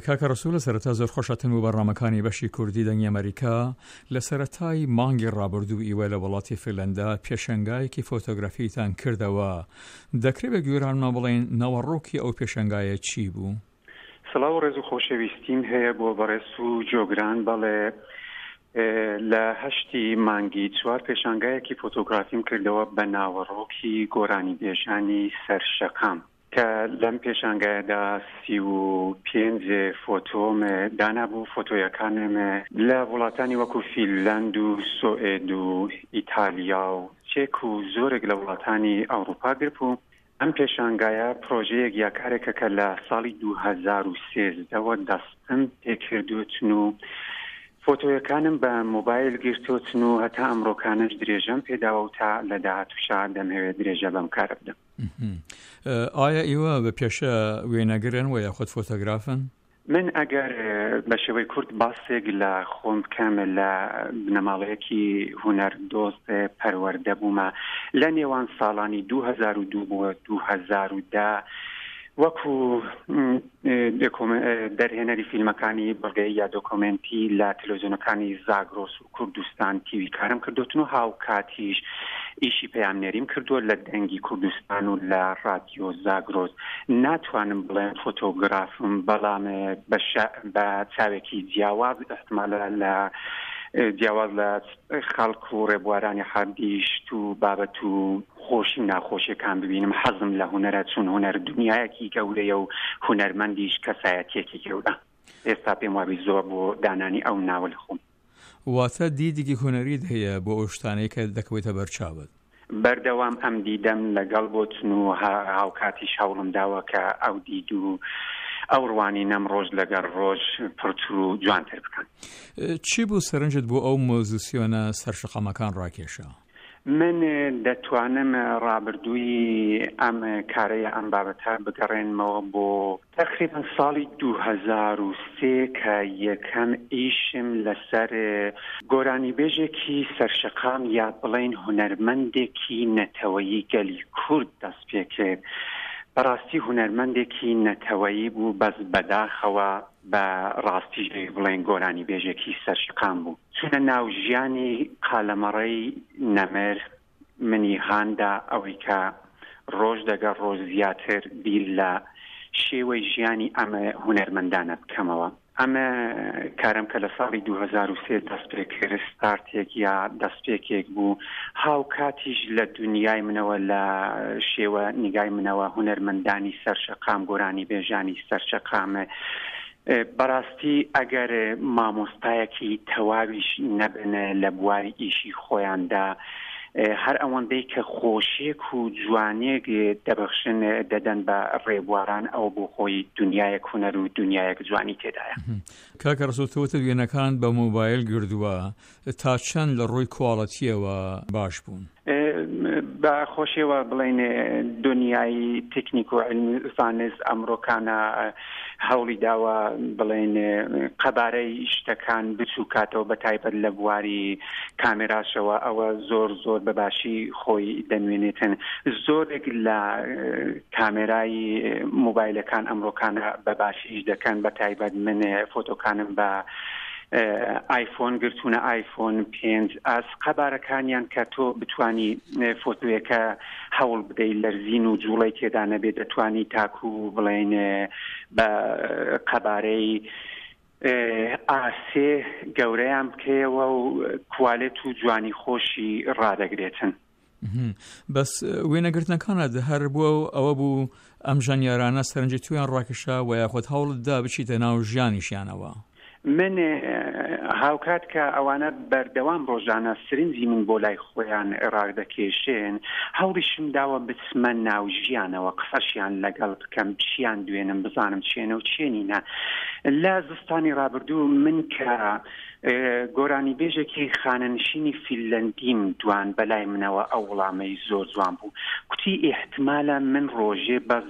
کاکە ڕەسوول لە سەرەتا زۆر خۆشهاتن بۆ بەرنامەکانی بەشی کوردی دەنگی ئەمەریکا. لە سەرەتای مانگی ڕابردوو ئیوە لە وڵاتی فیلەندا پێشەنگایەکی فۆتۆگرافیتان کردەوە. دەکرێ بە گوێرانمان بڵێن ناوەڕۆکی ئەو پێشەنگایە چی بوو؟ سڵاو و ڕێز و خۆشەویستیم هەیە بۆ بەڕێز و جۆگران. بەڵێ لە هەشتی مانگی چوار پێشانگایەکی فۆتۆگرافیم کردەوە بە ناوەڕۆکی گۆرانیبێژانی سەر شەقام. کە لەم پێشانگایەدا 35 فۆتۆم دانابوو، فۆتۆیەکانم لە وڵاتانی وەکو فینلەند و سۆئێد و ئیتالیا و چێک و زۆرێک لە وڵاتانی ئەوروپا گربوو. ئەم پێشانگایە پرۆژەیەک یا کارێکە کە لە ساڵی 2013 وە دەستم پێکردووتن و فۆتۆیەکانم بە مۆبایل گرتووتن و هەتا ئەمڕۆکانەش درێژەم پێداوە و تا لە داهاتووشا دەمهەوێت درێژە بەم کارە بدەم. ئایا ئیوە بە پێشە وێنەگرن و یاخود فۆتۆگرافن؟ من ئەگەر بە شێوەی کورت باسێک لە خۆم بکەم لە بنەماڵەیەکی هونەر دۆست پەروەردە بوومە لە نێوان ساڵانی 2002 بۆ 2010 وەکو دەرهێنەری فیلمەکانی بەڵگەی یا دۆکۆمێنتی لە تەلەڤزیۆنەکانی زاگرۆس و کوردستان تیوی کارم کردوتن و هاوکاتیش ئیشی پەیامنێریم کردووە لە دەنگی کوردستان و لە ڕادیۆ زاگرۆس. ناتوانم بڵێم فۆتۆگرافم، بەڵام بە چاوێکی جیاواز ئیحتمالە لە جیاواز لە خەڵک و ڕێبوارانی حادی شت و بابەت و خۆشی و ناخۆشیەکان ببینم. حەزم لە هونەرە، چون هونەر دنیایەکی گەورەیە و هونەرمەندیش کەسایەتیەکی گەورە. ئێستا پێم وابی زۆر بۆ دانانی ئەو ناوە لە خۆم. واتە دیدێکی هونەریت هەیە بۆ ئەو شتانەی کە دەکەوێتە بەر چاوت. بەردەوام ئەم دیدەم لەگەڵ بۆتن و هاوکاتیش هەوڵم داوە کە ئەو دید و ئەو ڕوانینەم ڕۆژ لەگەڵ ڕۆژ پڕتر و جوانتر بکەم. چی بوو سەرنجت بۆ ئەو مۆزیسیۆنە سەر شەقامەکان ڕاکێشا؟ من دەتوانم ڕابردووی ئەم کارە یا ئەم بابەتە بگەڕێنمەوە بۆ تەقریبەن ساڵی 2003 کە یەکەم ئیشم لەسەر گۆرانیبێژێکی سەرشەقام یا بڵێین هونەرمەندێکی نەتەوەیی گەلی کورد دەست پێکرد. بەڕاستی هونەرمەندێکی نەتەوەیی بوو بەس بەداخەوە بە ڕاستیش ئەوی بڵێن گۆرانیبێژێکی سەرشەقام بوو. چوونە ناو ژیانی قالەمەڕەی نەمر منی هان دا ئەوەی کە ڕۆژ دەگەڵ ڕۆژ زیاتر بیر لە شێوەی ژیانی ئەم هونەرمەندانە بکەمەوە. ئەم کارەم کە لە ساڵی 2003 دەست پێ کرد ستارتێک یا دەستپێکێک بوو، هاوکاتیش لە دونیای منەوە لە شێوە نیگای منەوە هونەرمەندانی سەر شەقام، گۆرانیبێژانی سەر شەقام بەڕاستی ئەگەر مامۆستایەکی تەواویش نەبن لە بواری ئیشی خۆیاندا هەر ئەوەندەی کە خۆشیێک و جوانیێک دەبەخشن دەدەن بە ڕێبواران ئەوە بۆ خۆی دنیایەک هونەر و دنیایەک جوانی تێدایە. کاکە ڕەسوڵ تۆ وتت وێنەکانت بە مۆبایل گردووە تا چەند لە ڕووی کواڵەتییەوە باش بوون؟ بە خۆشیەوە بڵێین دونیای تکنیک و علم و زانست ئەمڕۆکانە هەوڵی داوە بڵێین قەبارەی شتەکان بچووکاتەوە بە تایبەت لە بواری کامێراشەوە ئەوە زۆر زۆر بە باشی خۆی دەنوێنێتن زۆرێک لە کامێرای مۆبایلەکان ئەمڕۆکانە بە باشیش دەکەن بە تایبەت من فۆتۆکانم بە ئایفۆن گرتوونە ئایفۆن پێنج ئاس قەبارەکانیان کە تۆ بتانی فۆتۆیەکە هەوڵ بدەیت لەرزین و جوڵەی تێدا نەبێت دەتوانی تاکو بڵێن بە قەبارەی ئاسێ گەورەیان بکەیەوە و کوالێت و جوانی خۆشی ڕادەگرێتن. بەس وێنەگرتنەکانت هەر بووە و ئەوە بوو ئەم ژەنیارانە سەرنجی تویان ڕاکێشا و یاخود هەوڵت دا بچیتە ناو ژیانیشیانەوە؟ من هاوکات کە ئەوانە بەردەوام ڕۆژانە سرنجی من بۆ لای خۆیان ڕادەکێشێن هەوڵیشم داوە بچمە ناو ژیانەوە قسەشیان لەگەڵ بکەم چیان دوێنم بزانم چێنە و چێنینە لە زستانی ڕابردوو من کە گۆرانیبێژێکی خانەنشینی فینلەندیم دوان بەلای منەوە ئەو وڵامەی زۆر جوان بوو کوتی ئیحتمالە من ڕۆژێ بەس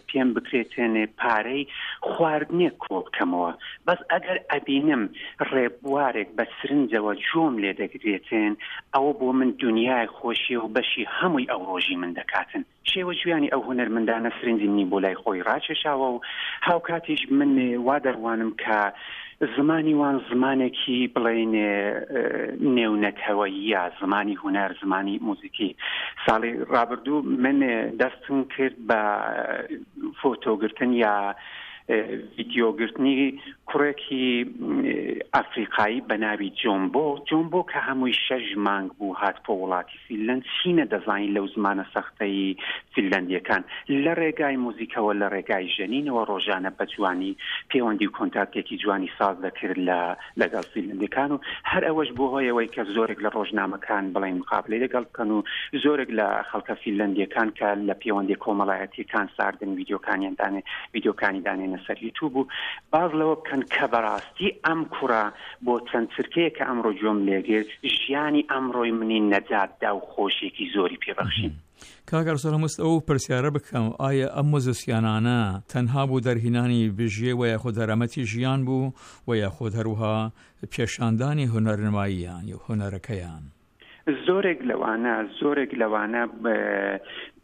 پێم بکرێتێنێ پارەی خواردنێک کۆ بکەمەوە بەس ئەگەر. ئەبینم ڕێبوارێک بە سرنجەوە گوێم لێ دەگرێتن، ئەوە بۆ من دونیای خۆشیە و بەشی هەمووی ئەو ڕۆژی من دەکاتن. شێوە ژیانی ئەو هونەرمەندانە سرنجی منی بۆ لای خۆی ڕاکێشاوە و هاوکاتیش من وا دەڕوانم کە زمانی وان زمانێکی بڵێین نێونەتەوەییە، زمانی هونەر، زمانی موزیکی. ساڵی ڕابردوو من دەستم کرد بە فۆتۆگرتن یا ڤیدیۆگرتنی کوڕێکی ئەفریقایی بە ناوی جۆمبۆ، جۆمبۆ کە هەمووی شەش مانگ بوو هات بۆ وڵاتی فینلەند، چی نەدەزانی لەو زمانە سەختەی فینلەندییەکان، لە ڕێگای موزیکەوە، لە ڕێگای ژەنینەوە ڕۆژانە بە جوانی پێوەندی و کۆنتاکتێکی جوانی ساز دەکرد لە لەگەڵ فینلەندیەکان و هەر ئەوەش بۆ هۆی ئەوەی کە زۆرێک لە ڕۆژنامەکان بڵێن مقابلەی لەگەڵ بکەن و زۆرێک لە خەڵکە فینلەندیەکان کە لە پێوەندی کۆمەڵایەتیەکان ساردن ویدیۆکانیان دانێ ویدیۆکانی دانێنە سەر یوتوب و باز لەوە بکەن کە بەڕاستی ئەم کوڕە بۆ چەند چرکەیەک کە ئەمڕۆ گوێم لێگرت ژیانی ئەمڕۆی منی نەجات دا و خۆشیەکی زۆری پێبەخشیم. کاک ئەرسەلان ویست ئەو پرسیارە بکەم ئایا ئەم موزیسیانانە تەنها بۆ دەرهینانی بژێ و یاخود دەرامەتی ژیان بوو و یاخود هەروها پێشاندانی هونەرنماییان یا هونەرەکەیان؟ زۆرێک لەوانە زۆرێک لەوانە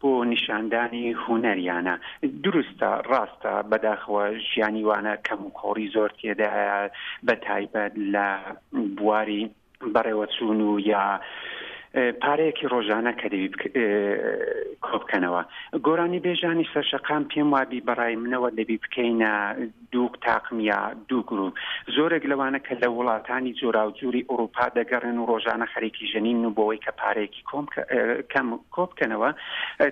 بۆ نیشاندانی هونەریانە دروستە ڕاستە بەداخەوە ژیانی وانە کەم و کۆڕی زۆر تێدایە بە تایبەت لە بواری بەڕێوەچوون و یا پارەیەکی ڕۆژانە کە دەبی کۆبکەنەوە گۆرانی بێژانی سەرشەقام پێم وابی بەڕای منەوە دەبی بکەینە دوو تاقم یا دوو گروپ زۆرێک لەوانە کە لە وڵاتانی جۆراوجوری ئەوروپا دەگەڕێن و ڕۆژانە خەریکی ژەنین و بۆەوەی کە پارەیەکی کۆم کەم کۆبکەنەوە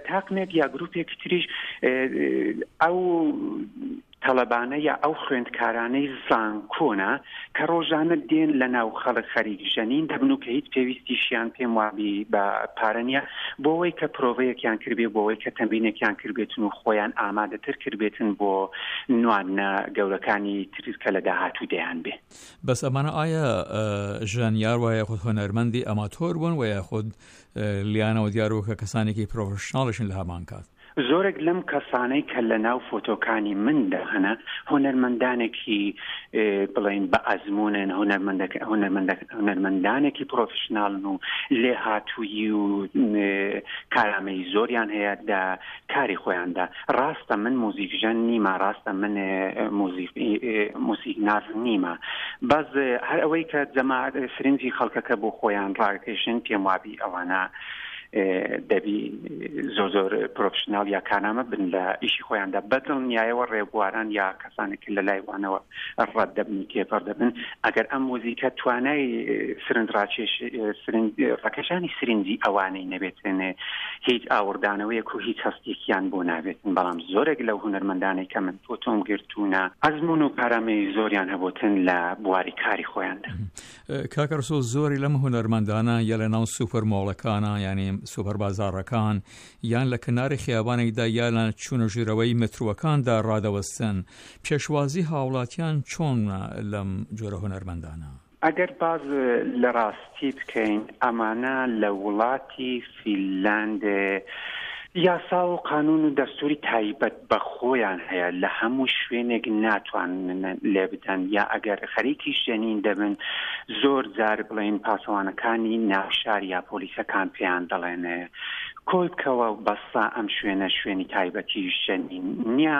تاقمێک یا گروپێکی تریش ئەو تەڵەبانە یا ئەو خوێندکارانەی زانکۆنە کە ڕۆژانە دێن لە ناو خەڵک خەریک ژەنین دەبن و کە هیچ پێویستیشیان پێم وابی بە پارە نییە بۆوەی کە پرۆڤەیەکیان کردبێ بۆوەی کە تەمرینێکیان کردبێتن و خۆیان ئامادەتر کردبێتن بۆ نواندنە گەورەکانی تر کە لە داهاتوو دەیان بێ. بەس ئەمانە ئایا ژەنیار وە یاخود هونەرمەندی ئەماتۆر بوون وە یاخود لیانەوە دیار بوو کە کەسانێکی پرۆفشناڵیشن لە هەمان کات؟ زۆرێک لەم کەسانەی کە لە ناو فۆتۆکانی مندا هەنە هونەرمەندانێکی بڵێین بە ئەزموونن، هونەرمەندانێکی پرۆفشناڵن و لێهاتوویی و کارامەیی زۆریان هەیە لە کاری خۆیاندا. ڕاستە من موزیکژەن نیمە، ڕاستە من موزیکناس نیمە، بەس هەر ئەوەی کە جەماعەت سرنجی خەڵکەکە بۆ خۆیان ڕاکێشن پێم وابی ئەوانە دەبی زۆر زۆر پرۆفشناڵ یا کارنامە بن لە ئیشی خۆیاندا بە دڵنیایەوە ڕێبواران یا کەسانێک کە لە لای وانەوە ڕەت دەبن و تێپەڕ دەبن ئەگەر ئەم موزیکە توانای سرنج ڕاکێش سرنج ڕاکێشانی سرنجی ئەوانەی نەبێتن هیچ ئاوڕدانەوەیەک و هیچ هەستێکیان بۆ نابێتن بەڵام زۆرێک لەو هونەرمەندانەی کە من فۆتۆم گرتوونە ئەزموون و کارامەیی زۆریان هەبووتن لە بواری کاری خۆیاندا. کاکە ڕسوڵ زۆری لەم هونەرمەندانە یا لە ناو سوپەر مۆڵەکانە یانی سوپەر بازاڕەکان یان لە کەناری خیابانێکدا یا لە چوونە ژوورەوەی متروەکاندا ڕادەوەستن پێشوازی هاوڵاتیان چۆن لەم جۆرە هونەرمەندانە؟ ئەگەر باس لە ڕاستی بکەین ئەمانە لە وڵاتی فینلاند یاسا و قانون و دەستوری تایبەت بە خۆیان هەیە لە هەموو شوێنێک ناتوانن لێبدەن یا ئەگەر خەریکی ژەنین دەبن زۆر جار بڵێن پاسەوانەکانی ناوشار یا پۆلیسەکان پێیان دەڵێن کۆی بکەوە بەسە ئەم شوێنە شوێنی تایبەتی ژەنین نییە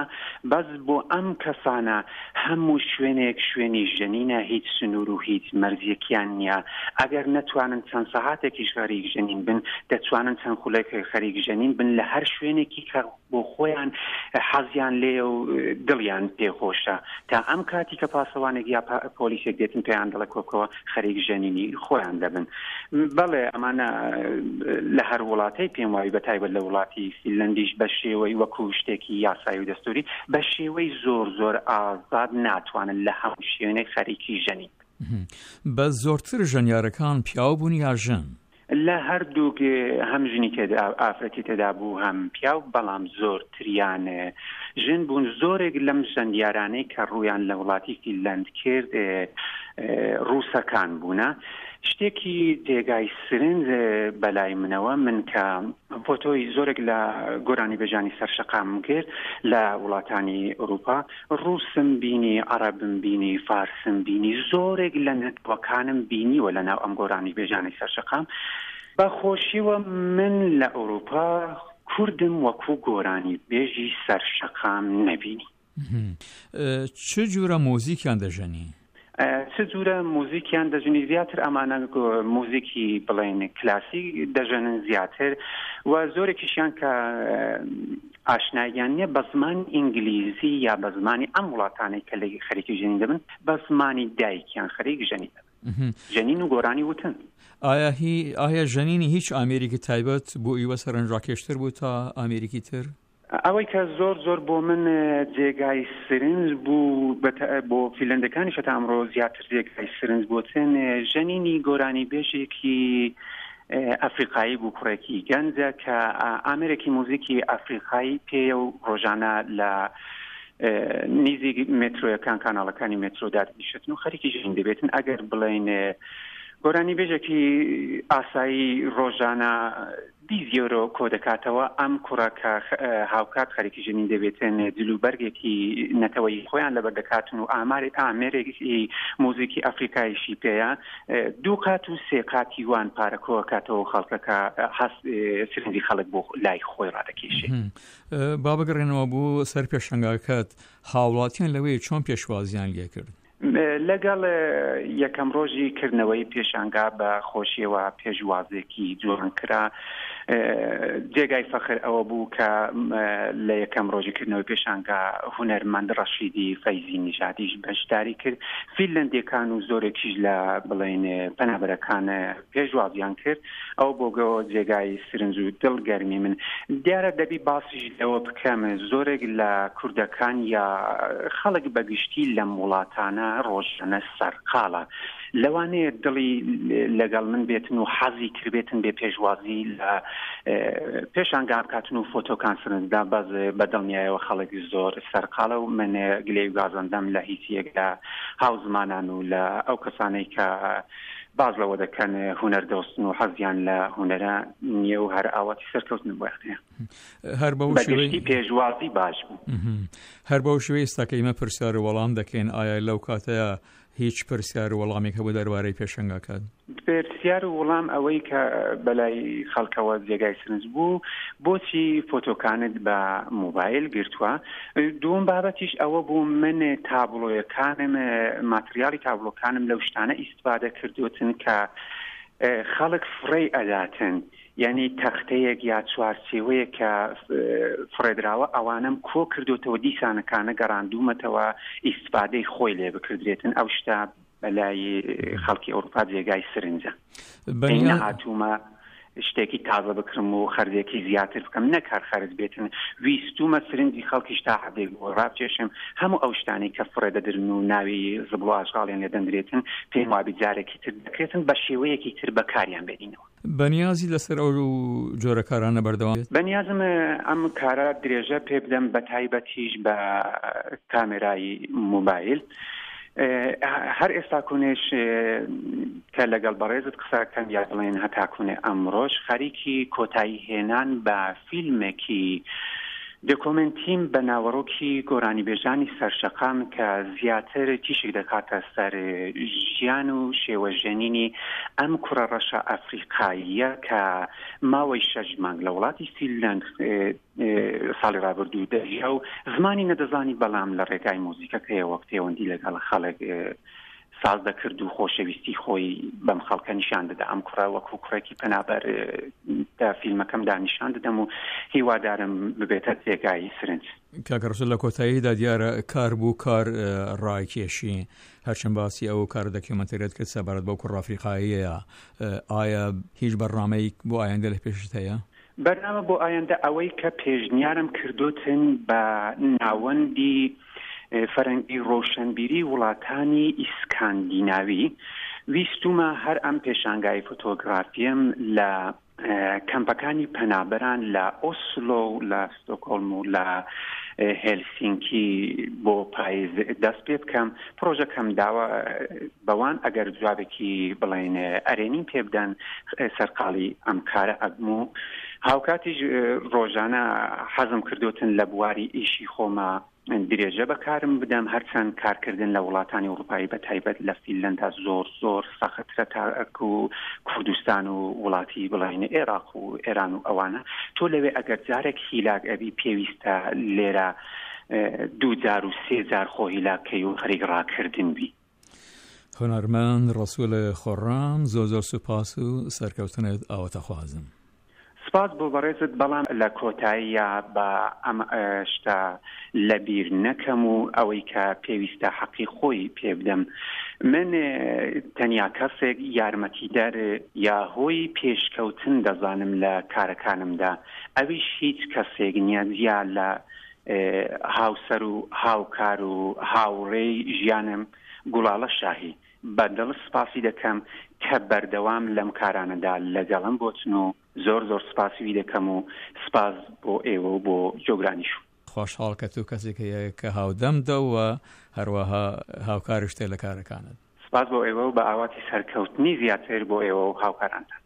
بەس بۆ ئەم کەسانە هەموو شوێنێک شوێنی ژەنینە هیچ سنوور و هیچ مەرجێکیان نییە، ئەگەر نەتوانن چەند سەعاتێکیش خەریک ژەنین بن، دەتوانن چەند خولەکێک خەریک ژەنین بن لە هەر شوێنێکی کە بۆ خۆیان حەزیان لێیە و دڵیان پێ خۆشە. تا ئەم کاتی کە پاسەوانێک یا پۆلیسێک دێتن پێیان دەڵێ کۆبکەوە خەریک ژەنینی خۆیان دەبن. بەڵێ ئەمانە لە هەر وڵاتەی پێم وابی بە تایبەت لە وڵاتی فینلەندیش بە شێوەی وەکو شتێکی یاسایی و دەستوری بە شێوەی زۆر زۆر ئازاد ناتوانن لە هەموو شوێنێک خەریکی ژەنین بن. بەس زۆرتر ژەنیارەکان پیاو بوون یا ژن؟ لە هەردووک هەم ژنی تێدا ئافرەتی تێدا بوو هەم پیاو بەڵام زۆرتریان ژن بوون زۆرێک لەم ژەندیارانەی کە ڕوویان لە وڵاتی فینلەند کرد ڕووسەکان بوونە. شتێکی جێگای سرنج بەلای منەوە من کە فۆتۆی زۆرێک لە گۆرانیبێژانی سەر شەقامم کرد لە وڵاتانی ئەوروپا، ڕووسم بینی، عەڕەبم بینی، فارسم بینی، زۆرێک لە نەتەوەکانم بینیوە لە ناو ئەم گۆرانیبێژانەی سەر شەقام. بە خۆشیەوە من لە ئەوروپا کوردم وەکوو گۆرانیبێژی سەر شەقام نەبینی. چ جورە مۆزیکیان دەژەنی؟ چ جورە موزیکیان دەژنی زیاتر ئەمانە موزیکی بڵێن کلاسی دەژەنن زیاتر و زۆرێکیشیان کە ئاشناییان نییە بە زمانی ئینگلیزی یا بە زمانی ئەم وڵاتانەی کە لە خەریکی ژەنین دەبن بە زمانی دایکیان خەریک ژەنین دەبن ژەنین و گۆرانی وتن. ئایا هی ئایا ژەنینی هیچ ئامێرێکی تایبەت بۆ ئیوە سەرنجڕاکێشتر بوو تا ئامێرێکی تر؟ ئەوەی کە زۆر زۆر بۆ من جێگای سرنج بوو بۆ فیلەندەکانیش هەتا ئەمڕۆ زیاتر جێگای سرنج بۆتن ژەنینی گۆرانی بێژێکی ئەفریقایی بوو کوڕێکی گەنجە کە ئامێرێکی موزیکی ئەفریقایی پێیە و ڕۆژانە لە نیزیک مێترۆیەکان کاناڵەکانی مێترۆ دادنیشتن و خەریکی ژین دەبێتن ئەگەر بڵێن گۆرانی بێژێکی ئاسایی ڕۆژانە 20 یۆرۆ کۆدەکاتەوە، ئەم کوڕە کە هاوکات خەریکی ژەنین دەبێتن جل و بەرگێکی نەتەوەیی خۆیان لەبەر دەکاتن و ئاماری ئامێرێکی موزیکی ئەفریکایشی پێیە دوو قات و سێ قاتی وان پارە کۆکاتەوە و خەڵکەکە هەست سرنجی خەڵک بۆ لای خۆی ڕادەکێشێ. با بگەڕێنەوە بۆ سەر پێشەنگاکەت، هاوڵاتیان لەوێ چۆن پێشوازیان لێکرد؟ لەگەڵ یەکەم ڕۆژی کردنەوەی پێشانگا بە خۆشیەوە پێشوازێکی جوان کرا. جێگای فەخر ئەوە بوو کە لە یەکەم ڕۆژی کردنەوەی پێشانگا هونەرمەند ڕەشیدی فەیزی نیژادیش بەشداری کرد. فینلەندیەکان و زۆرێکیش لە بڵێن پەنابەرەکان پێشوازیان کرد. ئەوە بۆ گەوە جێگای سرنج و دڵ گەرمی من. دیارە دەبی باسیش لەوە بکەم زۆرێک لە کوردەکان یا خەڵک بە گشتی لەم وڵاتانە ڕۆژانە سەرقاڵە. لەوانەیە دڵی لەگەڵ من بێتن و حەزی کردبێتن بێ پێشوازی لە پێشانگا بکاتن و فۆتۆکان سرنجدا بەس بە دڵنیایەوە خەڵک زۆر سەرقاڵە و من گلەی و گازەندەم لە هیچ یەک لە هاوزمانان و لە ئەو کەسانەی کە باس لەوە دەکەن هونەر دۆستن و حەزیان لە هونەرە نییە و هەر ئاواتی سەرکەوتن بۆیان هەیە. هەر بەو شێوەی پێشوازی باش بوو. هەر بەو شێوەی ئێستا کە ئیمە پرسیار و وەڵام دەکەین ئایا لەو کاتەیە هیچ پرسیار و وەڵامێک هەبوو دەربارەی پێشەنگاکان؟ پرسیار و وڵام ئەوەی کە بەلای خەڵکەوە جێگای سرنج بوو بۆچی فۆتۆکانت بە مۆبایل گرتووە دووەم بابەتیش ئەوە بوو من تابڵۆیەکانم ماتریالی تابڵۆکانم لەو شتانە ئیستفادە کردوتن کە خەڵک فڕێی ئەداتن یعنی تەختەیەک یا چوارچێوەیەک کە فڕێدراوە ئەوانەم کۆ کردوتەوە دیسانەکانە گەڕاندوومەتەوە ئیستفادەی خۆی لێ بکردرێتن ئەو شتە بەلای خەڵکی ئەوروپا جێگای سرنجە نەهاتوومە شتێکی تازە بکڕم و خەرجێکی زیاتر بکەم نەک هەر خەرج بێتن ویستومە سرنجی خەڵکیش تا حدێک بۆ ڕابکێشم هەموو ئەو شتانەی کە فڕێ دەدرن و ناوی زبڵ و ئاشغاڵیان لێ دەندرێتن پێم وابی جارێکی تر دەکرێتن بە شێوەیەکی تر بەکاریان بێنینەوە. بەنیازی لەسەر ئەو جۆرە کارانە بەردەوام بیت؟ بەنیازم ئەم کارە درێژە پێ بدەم بەتایبەتیش بە کامێرای مۆبایل. هەر ئێستا کونێش کە لەگەڵ بەڕێزت قسە کەم یا بڵێن هەتا کونێ ئەمڕۆش خەریکی کۆتایی هێنان بە فیلمێکی دۆکۆمێنتیم بە ناوەڕۆکی گۆرانیبێژانی سەرشەقام کە زیاتر تیشک دەکاتە سەر ژیان و شێوە ژەنینی ئەم کوڕە ڕەشە ئەفریقاییە کە ماوەی شەش مانگ لە وڵاتی فینلەند ساڵی ڕابردوو دەژیا و زمانی نەدەزانی بەڵام لە ڕێگای مۆزیکەکەیەوە پەیوەندی لەگەڵ خەڵک ساز دەکرد و خۆشەویستی خۆی بەم خەڵکە نیشان دەدا ئەم کوڕە وەکو کوڕێکی پەنابەر لە فیلمەکەمدا نیشان دەدەم و هیوادارم ببێتە جێگای سرنج. کاکە ڕەسوڵ لە کۆتاییدا دیارە کار بوو کار ڕایکێشی هەرچەند باسی ئەو کارە دەکیۆمەنتەریەت کرد سەبارەت بەو کوڕە ئەفریقاییەیە ئایا هیچ بەرنامەیەک بۆ ئایندە لە پێشت هەیە؟ بەرنامە بۆ ئایندە ئەوەی کە پێشنیارم کردوتن بە ناوەندی فەرەنگی ڕۆشەنبیری وڵاتانی ئیسکاندیناوی ویستومە هەر ئەم پێشانگای فۆتۆگرافیەم لە کەمپەکانی پەنابەران لە ئۆسلۆ و لە ستۆکۆڵم و لە. هێلسینکی بۆ پایز دەست پێ بکەم. پڕۆژەکەم داوە بەوان ئەگەر جوابێکی بڵێن ئەرێنیم پێ بدەن سەرقاڵی ئەم کارە ئەبم و هاوکاتیش ڕۆژانە حەزم کردوتن لە بواری ئیشی خۆما درێژە بە کارم بدەم هەرچەند کارکردن لە وڵاتانی ئوڕوپایی بە تایبەت لە فینلەندا زۆر زۆر سەخترە تاکو کوردستان و وڵاتی بڵێین ئێراق و ئێران و ئەوانە تۆ لەوێ ئەگەر جارێک هیلاک ئەبی پێویستە لێرە دوو جار و سێ جار خۆ هیلاک کەی و خەریک ڕاکردن بی. هونەرمەند ڕەسوڵ خۆڕام زۆر زۆر سوپاس و سەرکەوتنت ئاواتەخوازم. سپاس بۆ بەڕێزت بەڵام لە کۆتاییا با ئەم شتە لە بیر نەکەم و ئەوەی کە پێویستە حەقی خۆی پێ بدەم من تەنیا کەسێک یارمەتیدەر یا هۆی پێشکەوتن دەزانم لە کارەکانمدا ئەویش هیچ کەسێک نییە جیا لە هاوسەر و هاوکار و هاوڕێی ژیانم گوڵاڵە شاهی بە دڵ سپاسی دەکەم کە بەردەوام لەم کارانەدا لەگەڵم بۆتن و زۆر زۆر سپاسی وی دەکەم و سپاس بۆ ئێوە و بۆ جۆگرانیش. خۆشحاڵ کە تۆ کەسێک هەیە کە هاودەمتە و هەروەها هاوکاریشتە لە کارەکانت. سپاس بۆ ئێوە و بە ئاواتی سەرکەوتنی زیاتر بۆ ئێوە و هاوکارانتان.